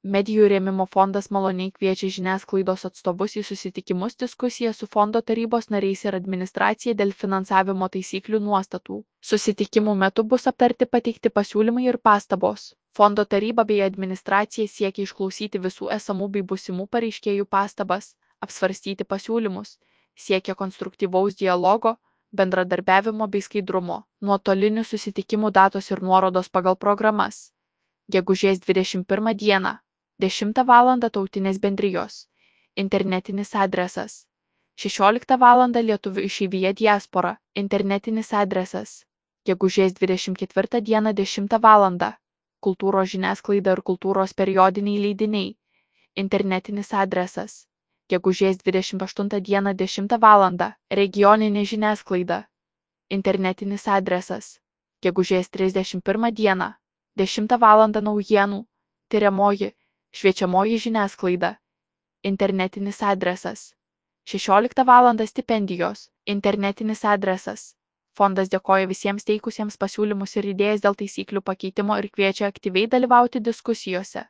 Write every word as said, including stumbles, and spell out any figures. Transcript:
Medijų rėmimo fondas maloniai kviečia žiniasklaidos atstovus į susitikimus diskusiją su fondo tarybos nariais ir administracija dėl finansavimo taisyklių nuostatų. Susitikimų metu bus aptarti pateikti pasiūlymai ir pastabos. Fondo taryba bei administracija siekia išklausyti visų esamų bei būsimų pareiškėjų pastabas, apsvarstyti pasiūlymus, siekia konstruktyvaus dialogo, bendradarbiavimo bei skaidrumo. Nuotolinių susitikimų datos ir nuorodos pagal programas. Gegužės dvidešimt pirmą dieną. dešimtą valandą Tautinės bendrijos. Internetinis adresas. šešioliktą valandą Lietuvių išeivija diaspora. Internetinis adresas. Gegužės dvidešimt ketvirtą dieną dešimtą valandą. Kultūros žiniasklaida ir kultūros periodiniai leidiniai. Internetinis adresas. Gegužės dvidešimt aštuntą dieną dešimtą valandą. Regioninė žiniasklaida. Internetinis adresas. Gegužės trisdešimt pirmą dieną. dešimtą valandą naujienų. Tyriamoji. Šviečiamoji žiniasklaida. Internetinis adresas. šešioliktą valandą stipendijos. Internetinis adresas. Fondas dėkoja visiems teikusiems pasiūlymus ir idėjas dėl taisyklių pakeitimo ir kviečia aktyviai dalyvauti diskusijose.